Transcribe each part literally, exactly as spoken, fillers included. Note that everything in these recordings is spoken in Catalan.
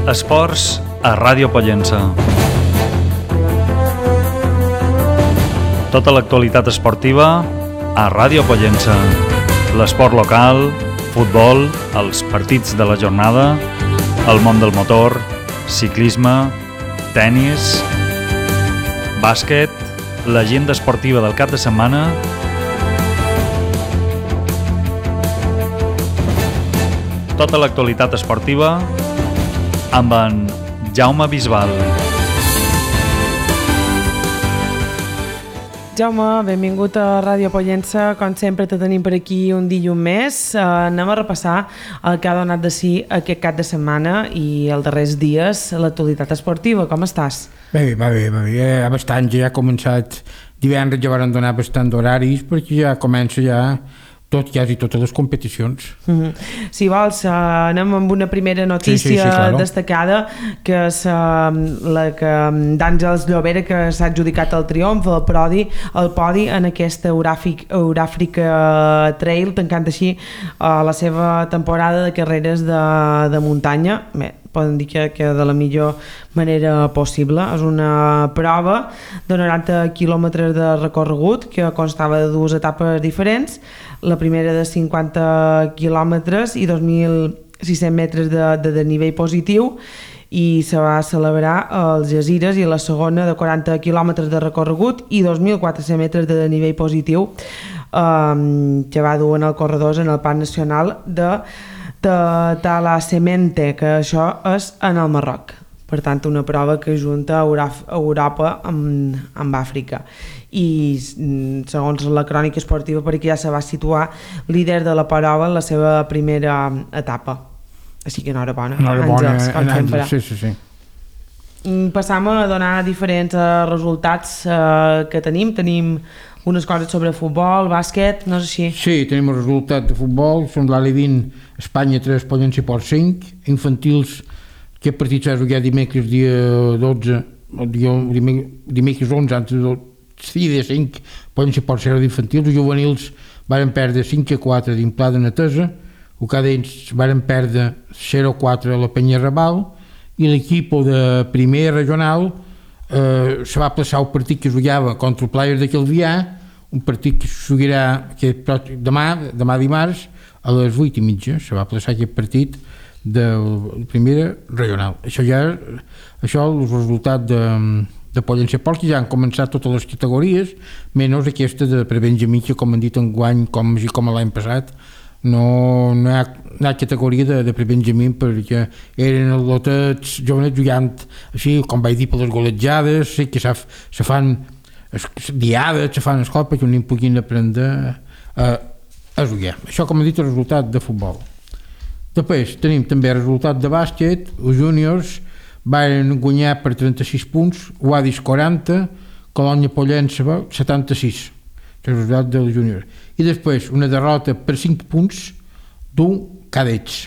Esports a Ràdio Pollença. Tota l'actualitat esportiva a Ràdio Pollença. L'esport local, futbol, els partits de la jornada, el món del motor, ciclisme, tennis, bàsquet, l'agenda esportiva del cap de setmana, tota l'actualitat esportiva amb en Jaume Bisbal. Jaume, benvingut a Ràdio Pollença. Com sempre te tenim per aquí un dilluns més. Uh, anem a repassar el que ha donat de si aquest cap de setmana i els darrers dies l'actualitat esportiva. Com estàs? Bé, va bé, va bé. Ja bastant, ja ha començat divendres, ja van donar bastant d'horaris perquè ja comença ja tot, quasi totes les competicions. Mm-hmm. Si vols, uh, anem amb una primera notícia sí, sí, sí, claro. destacada, que és uh, la que d'Àngels Llobera, que s'ha adjudicat el triomf, el podi, el podi en aquesta Euràfrica Trail, tancant així uh, la seva temporada de carreres de, de muntanya. Bé, poden dir que, que de la millor manera possible. És una prova de noranta quilòmetres de recorregut que constava de dues etapes diferents, la primera de cinquanta quilòmetres i dos mil sis-cents metres de, de, de nivell positiu, i se va celebrar als Jazires, i la segona de quaranta quilòmetres de recorregut i dos mil quatre-cents metres de nivell positiu, um, que va dur en el corredors en el Parc Nacional de de Talasemente, que això és en el Marroc. Per tant, una prova que junta Europa amb, amb Àfrica. I segons la crònica esportiva, per aquí ja se va situar líder de la prova en la seva primera etapa. Així que enhorabona, Àngels, com sempre. Sí, sí, sí. Passam a donar diferents resultats eh, que tenim. Tenim unes coses sobre futbol, bàsquet, no és així? Sí, tenim el resultat de futbol, són l'A L E vint, Espanya tres, Pollença Port cinc, infantils, aquest partit s'ha jugat dimecres dia dotze, dia, dimecres onze, antes dia cinc, Pollença Port zero d'infantils, els juvenils varen perdre cinc a quatre d'Implada Natesa, el cadets varen perdre zero a quatre a la Penya Raval, i l'equip de primer regional eh, se va plaçar el partit que jugava contra el Players de Calvià, un partit que se jugarà demà, demà dimarts a les vuit i mitja, se va plaçar aquest partit de la primera regional. Això ja això és el resultat de, de Pollença Port, que ja han començat totes les categories, menys aquesta de prebenjamí, que com han dit enguany, com, com l'any passat, no, no, hi ha, no hi ha categoria de, de prebenjamí, perquè eren els lotets jovenets jugant així, com vaig dir, per les golejades, sí, que se, se fan diades, se fan escola perquè no puguin aprendre a, a jugar. Això, com he dit, el resultat de futbol. Després tenim també el resultat de bàsquet. Els júniors van guanyar per trenta-sis punts, Guadis quaranta, Colònia Pollença setanta-sis, el resultat dels júniors. I després una derrota per cinc punts d'un cadets.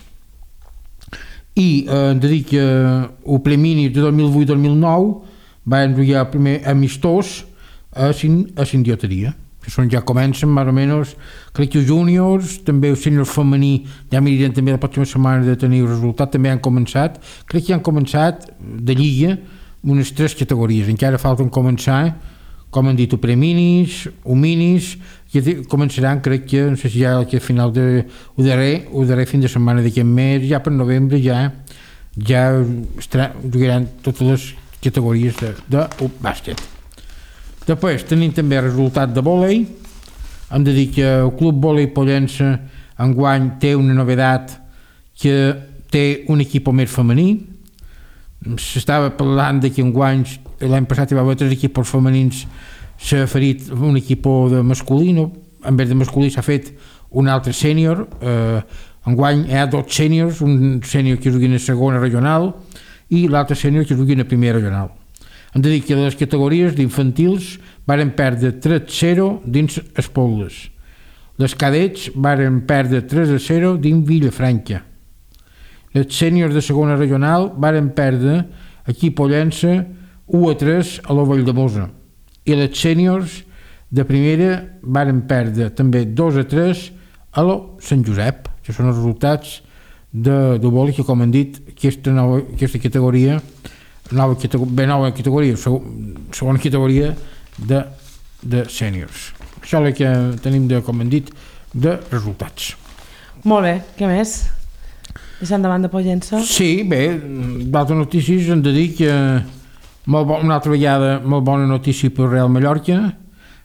I eh, hem de dir que el Premini de dos mil vuit dos mil nou van jugar el primer amistós a, sin, a Sindioteria. Això ja comencen, més o menys, crec que els júniors, també els sèniors femení, ja mirarem també la pròxima setmana de tenir el resultat, també han començat, crec que han començat de lliga unes tres categories, encara falten començar, com han dit, o preminis, o minis, que començaran, crec que, no sé si ja al final de, o darrer, o darrer fin de setmana d'aquest mes, ja per novembre ja, ja jugaran totes les categories de, de bàsquet. Després tenim també el resultat de vòlei. Hem de dir que el Club Vòlei Pollença enguany té una novedat, que té un equip més femení. S'estava parlant que enguany, l'any passat hi va haver tres equips femenins, s'ha ferit un equip de masculí, en vez de masculí s'ha fet un altre sènior. Eh, enguany hi ha dos sèniors, un sènior que jugui a segona regional i l'altre sènior que jugui a primera regional. Hem de dir que les categories d'infantils varen perdre tres a zero dins Espolles. Les cadets varen perdre tres a zero dins Vilafranca. Les sèniors de segona regional varen perdre aquí a Pollença u a tres a la Valldemossa. I les sèniors de primera varen perdre també dos a tres a la Sant Josep. Això són els resultats de, de vòlei, que com hem dit, aquesta, nova, aquesta categoria, nova, bé, nova categoria, segona categoria de, de sèniors. Això és el que tenim, de, com hem dit, de resultats. Molt bé, què més? Deixant davant de Pollença? Sí, bé, d'altres notícies hem de dir que molt bo, una altra vegada molt bona notícia per Real Mallorca,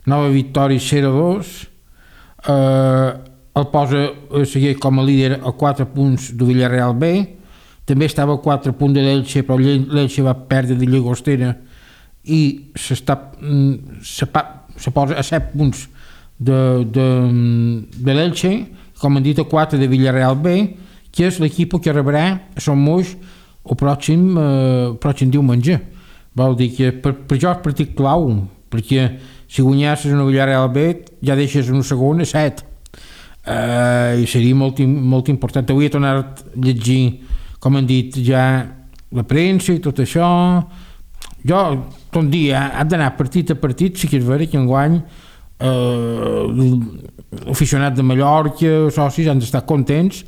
nova victòria zero a dos, eh, el posa a seguir com a líder a quatre punts del Villarreal B, també estava a quatre punts de l'Elche, però l'Elche va perdre de Llagostera i s'està, se, se posa a set punts de, de, de l'Elche, com han dit, a quatre de Villarreal B, que és l'equip que rebrà a Son Moix el pròxim, eh, pròxim diumenge. Vol dir que per, per això és partit clau, perquè si guanyasses en el Villarreal B ja deixes en el segon a set. Uh, i seria molt, molt important. Avui he tornat a llegir, com han dit, ja la premsa i tot això. Jo, tot dia, ha d'anar partit a partit. Sí que és vera que enguany uh, l'aficionat de Mallorca, socis, han d'estar contents.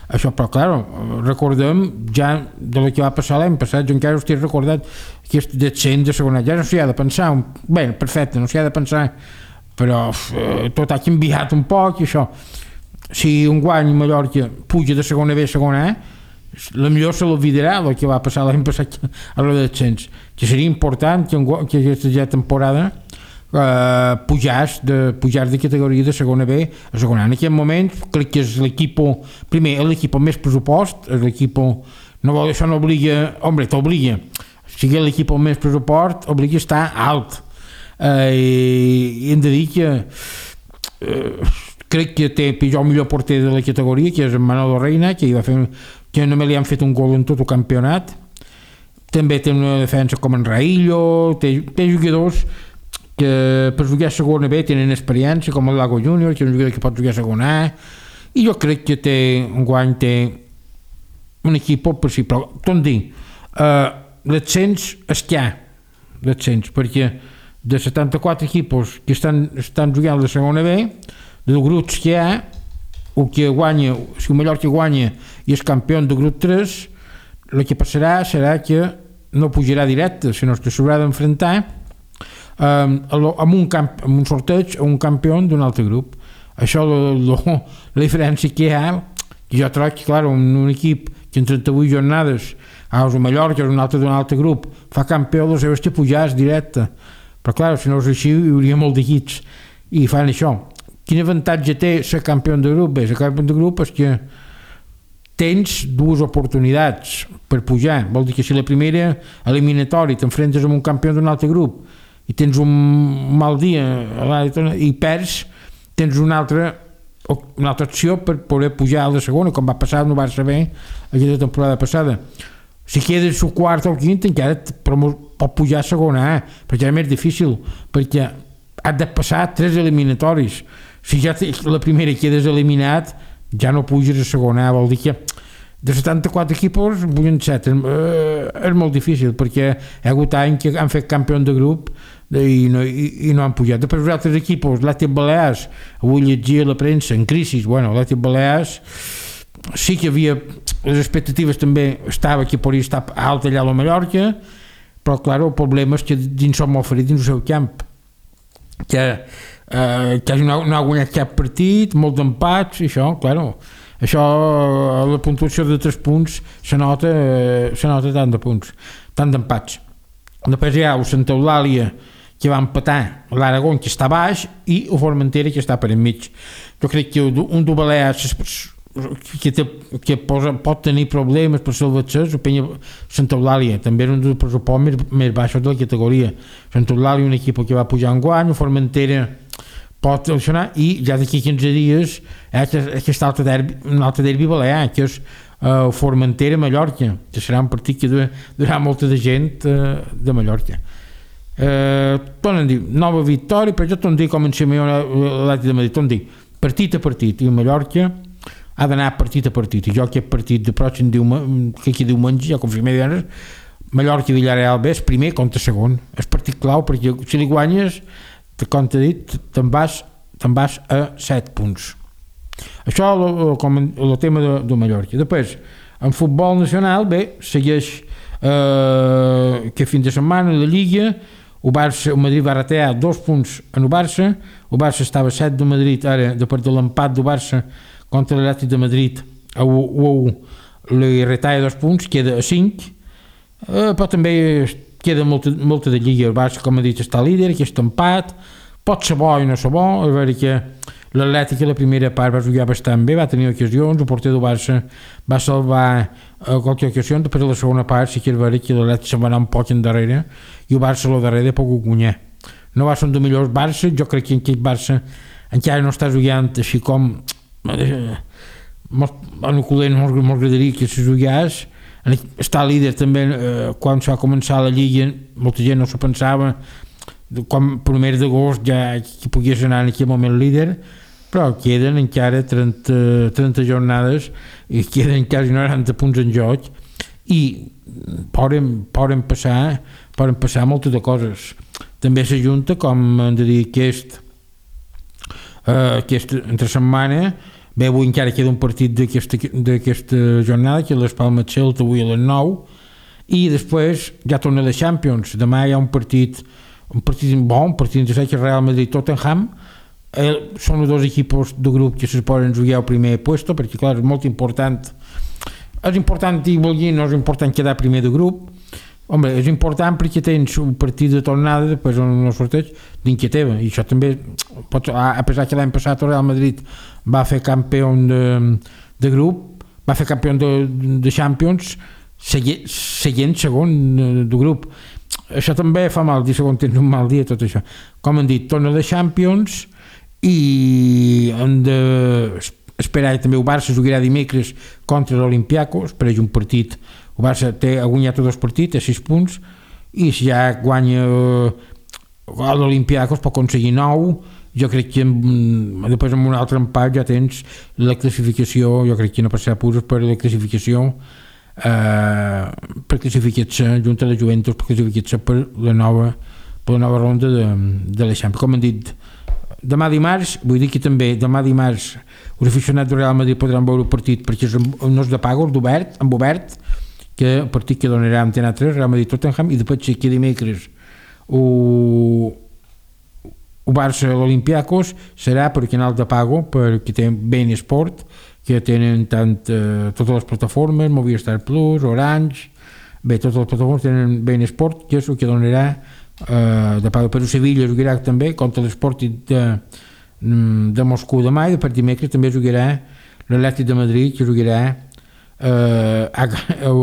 Això, però clar, recordem ja de la que va passar l'any passat. Jo encara estic recordat aquest descens de segona. Ja no s'hi ha de pensar. Bé, perfecte, no s'hi ha de pensar, però uh, tot ha canviat un poc i això. Si un guany Mallorca puja de segona B a segona A, la millor se l'olvidarà el que va passar l'any passat a la descens, que seria important que, que aquesta ja temporada eh, pujàs de, pujàs de categoria de segona B a segona A. En aquest moment crec que és l'equip, primer és l'equip amb més pressupost, és l'equip, no vol, això no obliga, home, t'obliga, si és l'equip amb més pressupost obliga a estar alt, eh, i hem de dir que eh, crec que té pitjor millor porter de la categoria, que és en Manolo Reina, que, hi va fer, que només li han fet un gol en tot el campionat. També té una defensa com en Raillo, té, té jugadors que per jugar a segona B tenen experiència, com el Lago Júnior, que és un jugador que pot jugar a segona A, i jo crec que té un guany, té un equip per si, però tot dir, eh, l'ascens és que hi ha l'ascens, perquè de setanta-quatre equips que estan, estan jugant a la segona B, dels grups que hi ha, el que guanya, si el Mallorca guanya i és campió de grup tres, el que passarà serà que no pujarà directe, sinó que s'haurà d'enfrontar eh, amb, un camp, amb un sorteig a un campió d'un altre grup. Això lo, lo, la diferència que hi ha, que jo trobo que, clar, un, un equip que en trenta-vuit jornades a el Mallorca o un altre d'un altre grup fa campió, el seu és que pujar directe, però clar, si no és així hi hauria molt d'equips i fan això. Quin avantatge té ser campió de grup? Bé, ser campió de grup és que tens dues oportunitats per pujar. Vol dir que si la primera eliminatòria t'enfrentes amb un campió d'un altre grup i tens un mal dia i perds, tens una altra, una altra opció per poder pujar a la segona, com va passar no va saber aquesta temporada passada. Si quedes el quart o el quint encara pot pujar a segona A, però ja és més difícil, perquè has de passar tres eliminatoris. Si ja la primera quedes eliminat, ja no puges a segona A, vol dir que de setanta-quatre equips pugen set. Eh, és molt difícil, perquè hi ha hagut anys que han fet campió de grup i no, i, i no han pujat. Després els altres equips, l'Atlètic Balears, avui llegia la premsa en crisi, bueno, l'Atlètic Balears sí que havia, les expectatives també estava que podria estar alt allà a la Mallorca, però clar, el problema és que dins som molt ferits dins el seu camp, que Eh, que no, no ha guanyat cap partit, molts empats i això, claro, això la puntuació de tres punts se nota, eh, se nota tant de punts, tant d'empats. Després hi ha el Santa Eulàlia que va empatar l'Aragón, que està baix, i el Formentera, que està per enmig. Jo crec que un de Balears que, té, que posa, pot tenir problemes per ser el Baixés, o Penya Santa Eulàlia, també és un dels pressupost més, més baixos de la categoria. Santa Eulàlia, un equip que va pujar en guany, el Formentera pot funcionar, i ja d'aquí quinze dies eh, aquest altre derbi, un altre derbi balear, que és uh, Formentera-Mallorca, que serà un partit que durà molta de gent uh, de Mallorca. Uh, tornen a dir, nova victòria, però jo torno a dir com en Simeone l'Atlètic de Madrid, torno a dir, partit a partit, i Mallorca ha d'anar partit a partit, i jo aquest partit de pròxim diumenge, que aquí diumenge, ja confirmé divendres, Mallorca i Villarreal B és primer contra segon, és partit clau, perquè si li guanyes, com t'he dit, te'n vas, te'n vas a set punts. Això com el tema de, de Mallorca. Després, en futbol nacional, bé, segueix eh, que fin de setmana la Lliga, el Barça, el Madrid va retallar dos punts en el Barça, el Barça estava a set de Madrid, ara, de part de l'empat del Barça contra l'Atlètic de Madrid, a u li retalla dos punts, queda a cinc, eh, però també queda molta, molta de Lliga. El Barça, com he dit, està líder, aquest empat, pot ser bo i no ser bo, a veure que l'Atlètic a la primera part va jugar bastant bé, va tenir ocasions, el porter del Barça va salvar eh, qualque ocasió, després a la segona part sí que és vera que l'Atlètic se'n va anar un poc endarrere i el Barça a la darrere poc guanyar. No va ser un dels millors Barça, jo crec que aquest Barça encara no està jugant així com eh, en el culer no m'agradaria que se jugués, està líder també eh, quan s'ha començat la Lliga, molta gent no s'ho pensava, quan primer d'agost ja que pogués anar en aquell moment líder, però queden encara trenta, trenta jornades i queden quasi noranta punts en joc i poden, poden passar poden passar moltes de coses. També s'ajunta, com hem de dir, aquest eh, aquesta entre setmana, bé, avui encara queda un partit d'aquesta jornada, que és les Palmes Celta avui a les nou, i després ja torna la Champions. Demà hi ha un partit un partit bon, un partit interessant, que és Real Madrid-Tottenham. Eh, són els dos equips de grup que se poden jugar al primer puesto, perquè clar, és molt important és important i vol dir, no és important quedar primer de grup. Home, és important perquè tens un partit de tornada després on no sorteig dins que teva, i això també pot, a pesar que l'any passat el Real Madrid va fer campió de, de grup, va fer campió de, de Champions seguint, seguint segon de grup. Això també fa mal, dir segon tens un mal dia, tot això. Com han dit, torna de Champions i hem d'esperar també el Barça jugarà dimecres contra l'Olympiacos, per un partit. El Barça té, ha guanyat tots els partits, té sis punts, i si ja guanya l'Olympiacos pot aconseguir nou. Jo crec que després amb un altre empat ja tens la classificació, jo crec que no passarà purs per la classificació Uh, per classificar-se junt a la Juventus, per classificar-se per la nova per la nova ronda de, de la Champions. Com han dit, demà dimarts, vull dir que també demà dimarts els aficionats del Real Madrid podran veure el partit, perquè no és de pago, és d'obert, amb obert, que el partit que donarà Antena tres, Real Madrid-Tottenham, i després que dimecres o el Barça l'Olympiacos serà per canal de pago, perquè té Ben Sport, que tenen tant, eh, totes les plataformes, Movistar Plus, Orange, bé, totes les plataformes tenen Ben Sport, que és el que donarà eh, de pago. Per Sevilla jugarà també contra l'Sporting de, de Moscou demà, i per dimecres també jugarà l'Atlètic de Madrid, que jugarà eh, a, a, a,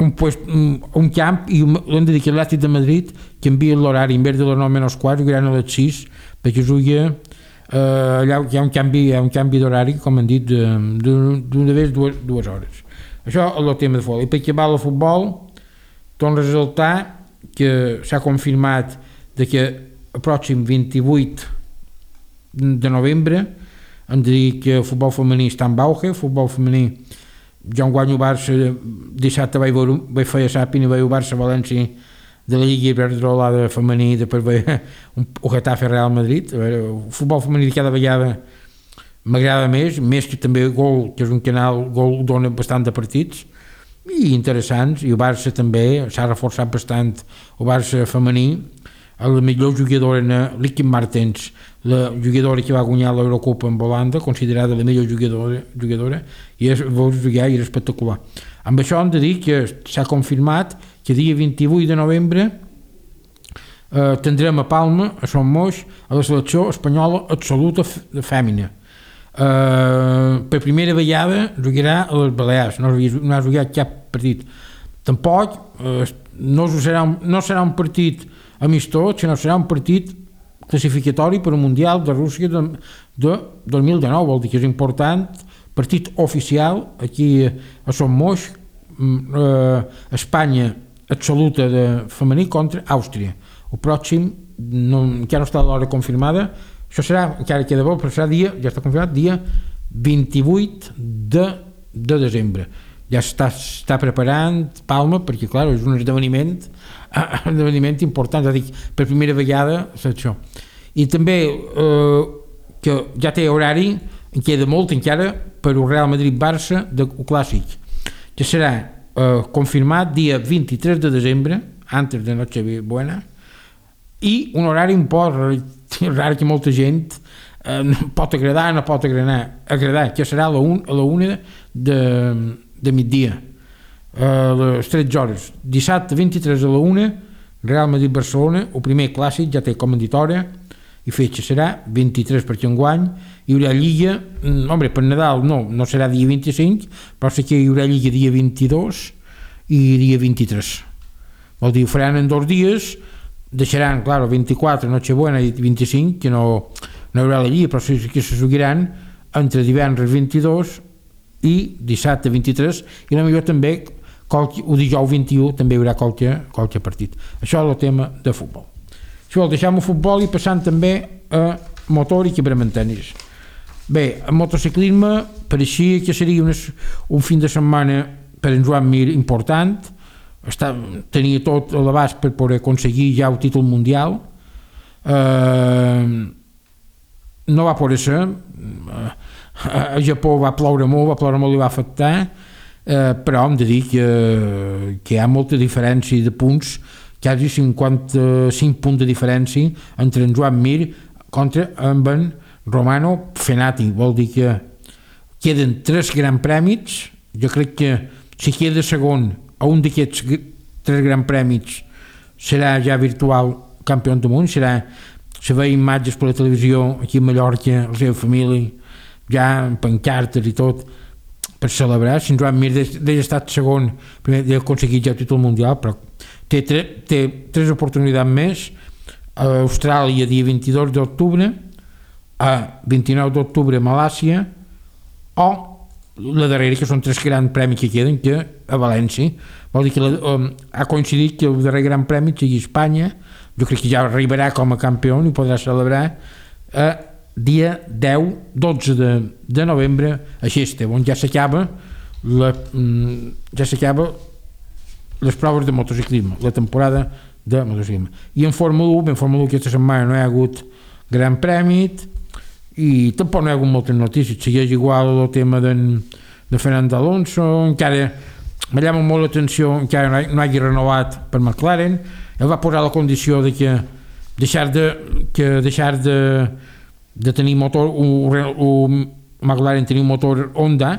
un, pues, un, un camp, i hem de dir que l'Atlètic de Madrid canvia l'horari, en vez de les nou menys quart jugaran a les sis, perquè juga Uh, allà hi ha un canvi, hi ha un canvi d'horari, com han dit, d'una vegada dues, dues hores. Això és el tema de futbol. I per acabar el futbol, torno a ressaltar que s'ha confirmat de que el pròxim vint-i-vuit de novembre hem de dir que el futbol femení està en auge. El futbol femení, jo en guanyo Barça, dissabte vaig, veure, vaig fer a Sàpina, vaig veure Barça-València de la Lliga Iberdrolada femení, després ve un, un Getafe Real Madrid. El futbol femení cada vegada m'agrada més, més que també Gol, que és un canal, Gol dona bastant de partits i interessants, i el Barça també s'ha reforçat bastant, el Barça femení. La millor jugadora, Licky Martens, la jugadora que va guanyar l'Eurocopa amb Holanda, considerada la millor jugadora, jugadora i és, veus jugar i era espectacular. Amb això hem de dir que s'ha confirmat que dia vint-i-vuit de novembre eh, tindrem a Palma, a Son Moix, a la selecció espanyola absoluta fèmina. Eh, per primera vegada jugarà a les Balears, no, no ha jugat cap partit. Tampoc eh, no, serà un, no serà un partit amistós, sinó serà un partit classificatori per al Mundial de Rússia de, de dos mil dinou, vol dir que és important, partit oficial aquí a Son Moix, eh, Espanya absoluta de femení contra Àustria. El pròxim, no, encara no està l'hora confirmada, això serà, encara queda bo, però serà dia, ja està confirmat, dia vint-i-vuit de, de desembre. Ja està, està preparant Palma, perquè clar, és un esdeveniment, un esdeveniment important, és a dir, per primera vegada és això. I també, eh, que ja té horari, en queda molt encara per el Real Madrid-Barça del Clàssic, que serà eh, confirmat dia vint-i-tres de desembre, antes de Nochebuena, i un horari un poc rar que molta gent eh, pot agradar, no pot agradar, agradar que serà a la, un, a la una de, de migdia, a les tretze hores. Dissabte vint-i-tres a la una, Real Madrid-Barcelona, el primer clàssic, ja té com a dit hora, i fetge serà vint-i-tres perquè enguany hi haurà Lliga, home, per Nadal no, no serà dia vint-i-cinc, però sí que hi haurà Lliga dia vint-i-dos i dia vint-i-tres. Vol dir, ho faran en dos dies, deixaran, clar, vint-i-quatre, Nochebuena i vint-i-cinc, que no, no hi haurà la Lliga, però sí que se seguiran entre divendres vint-i-dos i dissabte vint-i-tres, i la millor també, qualque, o dijous vint-i-u, també hi haurà qualque, qualque partit. Això és el tema de futbol. Si vol, deixem el futbol i passant també a motor i quebramentanis. Bé, el motociclisme pareixia que seria unes, un fin de setmana per en Joan Mir important, està, tenia tot a l'abast per poder aconseguir ja el títol mundial, eh, no va poder ser, a Japó va ploure molt, va ploure molt i va afectar, eh, però hem de dir que, que hi ha molta diferència de punts, quasi cinquanta-cinc punts de diferència entre en Joan Mir contra amb en Romano Fenati. Vol dir que queden tres grans prèmits. Jo crec que si queda segon a un d'aquests tres grans prèmits serà ja virtual campió del món, serà, se veia imatges per la televisió aquí a Mallorca, la seva família, ja amb pancartes i tot, per celebrar. Si en Joan Mir d'ell ha estat segon, primer d'ell ha aconseguit ja el títol mundial, però té, tre, té tres oportunitats més, a Austràlia dia vint-i-dos d'octubre, a vint-i-nou d'octubre a Malàcia, o la darrera, que són tres grans premis que queden, que a València. Vol dir que la, um, ha coincidit que el darrer gran premi sigui Espanya, jo crec que ja arribarà com a campió i podrà celebrar a dia deu dotze de, de novembre a Xeste, on ja s'acaba la, ja s'acaba les proves de motociclisme, la temporada de motociclisme. I en Fórmula u, en Fórmula u aquesta setmana no hi ha hagut gran premi i tampoc no hi ha hagut moltes notícies, segueix igual el tema de, de Fernando Alonso, encara me llama molt l'atenció, encara no, ha, no hagi renovat per McLaren. Ell va posar la condició de que deixar de, que deixar de, de tenir motor, o, o McLaren tenir un motor Honda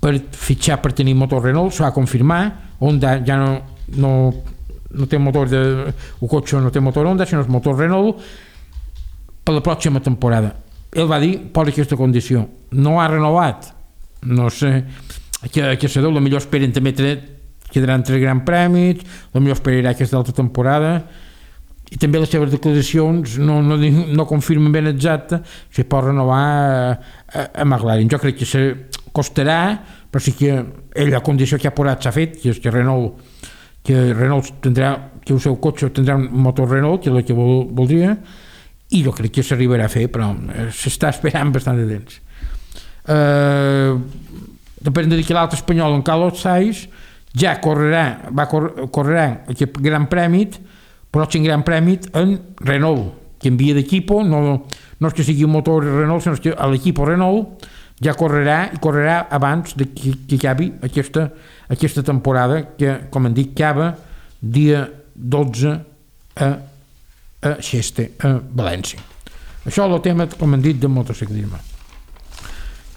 per fitxar per tenir motor Renault, s'ho va confirmar. Honda ja no, no, no té motor de, el cotxe no té motor Honda, sinó el motor Renault per la pròxima temporada. Ell va dir, posa aquesta condició, no ha renovat, no sé, que, que se deu, la millor esperen també tre, quedaran tres grans premis, la millor esperarà aquesta altra temporada, i també les seves declaracions no, no, no confirmen ben exacte si pot renovar a, a, a McLaren. Jo crec que se costarà, però sí que ell, la condició que ha posat s'ha fet, que és que Renault, que Renault tindrà, que el seu cotxe tindrà un motor Renault, que és el que vol, voldria, i jo crec que s'arribarà a fer, però s'està esperant bastant de temps. Eh, depèn de dir que l'altre espanyol, en Carlos Sainz, ja correrà, va cor, correrà aquest gran premi, però aquest gran premi en Renault, que envia d'equipo, no, no és que sigui un motor Renault, sinó que l'equipo Renault ja correrà i correrà abans de que, que acabi aquesta, aquesta temporada, que, com hem dit, acaba dia dotze a a Xeste, a València. Això és el tema, com hem dit, del motociclisme.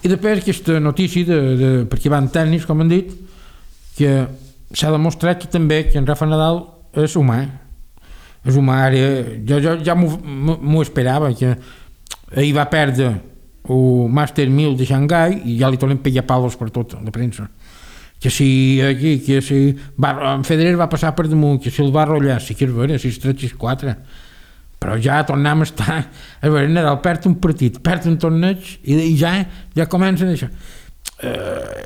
I després aquesta notícia, de, de, perquè van tècnics, com hem dit, que s'ha demostrat que també que en Rafa Nadal és humà. És humà, ara, jo, jo ja m'ho esperava, que ahir va perdre el Master mil de Xangai i ja li tornen pegar palos per tot, la premsa. Que si aquí, que si va, en Federer va passar per damunt, que si el va rotllar, sí que és vera, sis tres sis quatre, però ja tornem a estar, a veure, Nadal perd un partit, perd un torneig i, i ja, ja comencen això. Eh,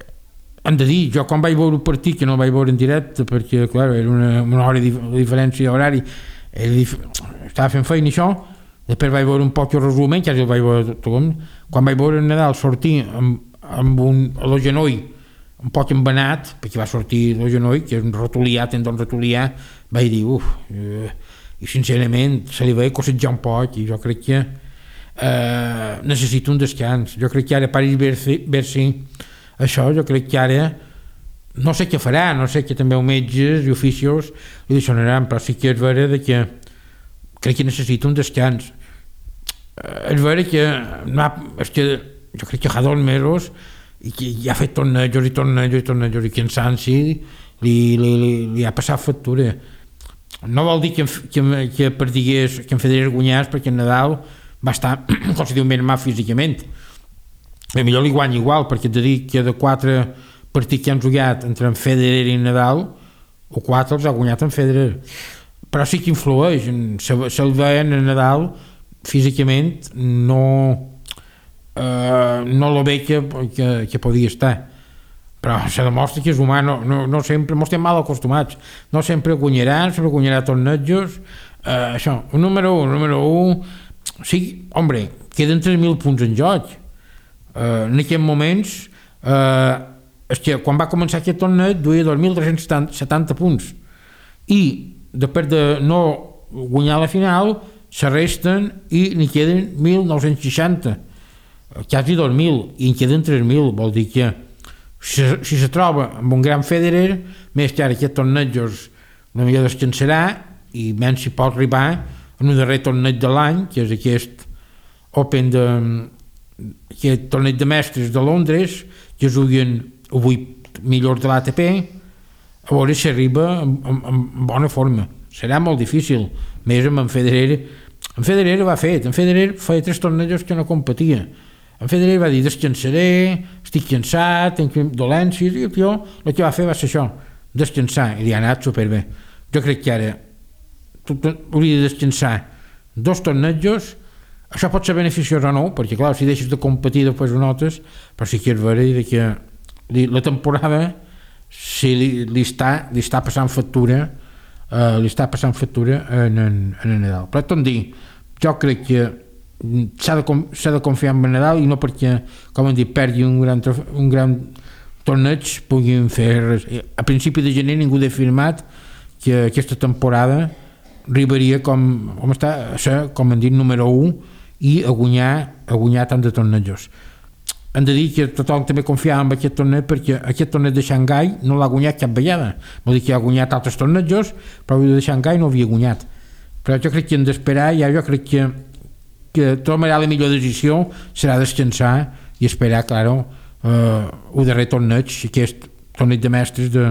hem de dir, jo quan vaig veure el partit, que no el vaig veure en directe perquè clar, era una, una hora de diferència horari, dif... estava fent feina i això, després vaig veure un poc el resum, quasi el vaig veure tot, quan vaig veure Nadal sortir amb, amb un, el genoll un poc embenat, perquè va sortir el genoll, que és un ratolià, tendon ratolià, vaig dir, uf, eh, i sincerament se li veia cossejar un poc, i jo crec que eh, necessita un descans. Jo crec que ara Paris-Bercy, això, jo crec que ara no sé què farà, no sé que també els metges i oficios li deixaran, però sí que és vera que crec que necessita un descans. És vera que, no, és que jo crec que fa dos mesos i que ja ha fet tornejos i tornejos i tornejos i que en Sansi li, li, li, li ha passat factura. No vol dir que, que, que perdigués, que en Federer guanyés, perquè en Nadal va estar considerablement mal físicament. A millor li guanya igual, perquè he de dir que de quatre partits que han jugat entre en Federer i Nadal, o quatre els ha guanyat en Federer. Però sí que influeix, se'l veien en Nadal físicament no eh, no lo ve que, que, que podia estar. Però se demostra que és humà, no, no, no sempre, mos estem mal acostumats, no sempre guanyaran, sempre guanyarà tornejos, eh, això, un número un, número un, sí, hombre, queden tres mil punts en joc, eh, en aquests moments, eh, és que quan va començar aquest torneig duia dos mil tres-cents setanta punts, i després de no guanyar la final, se resten i n'hi queden mil nou-cents seixanta, quasi dos mil, i en queden tres mil, vol dir que Si, si se troba amb un gran Federer, més que ara aquest tornejos no millor descansarà i menys si pot arribar en un darrer torneig de l'any, que és aquest Open de aquest torneig de mestres de Londres, que juguen vuit millors de l'A T P, a veure si arriba en, en, en bona forma. Serà molt difícil, més amb en Federer. En Federer ho ha fet, en Federer feia tres tornejos que no competia. En Federer va dir, descansaré, estic cansat, tenc dolències, i el tio el que va fer va ser això, descansar, i li ha anat superbé. Jo crec que ara hauria de descansar dos tornejos, això pot ser beneficiós o no, perquè clar, si deixes de competir després ho notes, però sí que és vera que li, la temporada si li, li, està, li està passant factura, eh, li està passant factura en, en, en el Nadal. Però tot dir, jo crec que s'ha de, s'ha de confiar en Nadal i no perquè, com hem dit, perdi un gran, un gran torneig puguin fer res. A principi de gener ningú ha afirmat que aquesta temporada arribaria com, com està, a ser, com hem dit, número un i a guanyar, a guanyar tant de tornejos. Hem de dir que tothom també confiava en aquest torneig perquè aquest torneig de Xangai no l'ha guanyat cap vegada, vol dir que ha guanyat altres tornejos, però el de Xangai no havia guanyat. Però jo crec que hem d'esperar, ja jo crec que que tomarà la millor decisió serà descansar i esperar, claro, eh, el darrer torneig, aquest torneig de mestres de,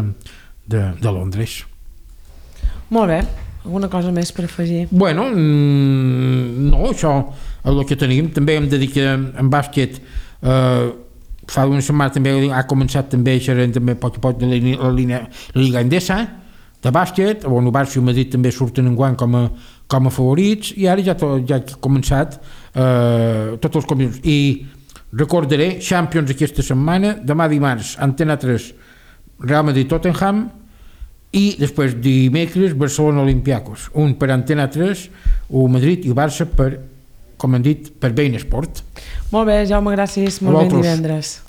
de, de Londres. Molt bé, alguna cosa més per afegir? Bueno, no, això és el que tenim. També hem de dir que en bàsquet eh, fa una setmana també ha començat també a xerrar també poc a poc de la, la, la Liga Endesa de bàsquet, on el Barça i el Madrid també surten enguany com a, com a favorits, i ara ja, to, ja ha començat eh, tots els combinats. I recordaré Champions aquesta setmana, demà dimarts Antena tres Real Madrid-Tottenham, i després dimecres Barcelona Olympiacos, un per Antena tres, el Madrid i el Barça per, com hem dit, per Bein Sport. Molt bé, Jaume, gràcies, molt ben divendres.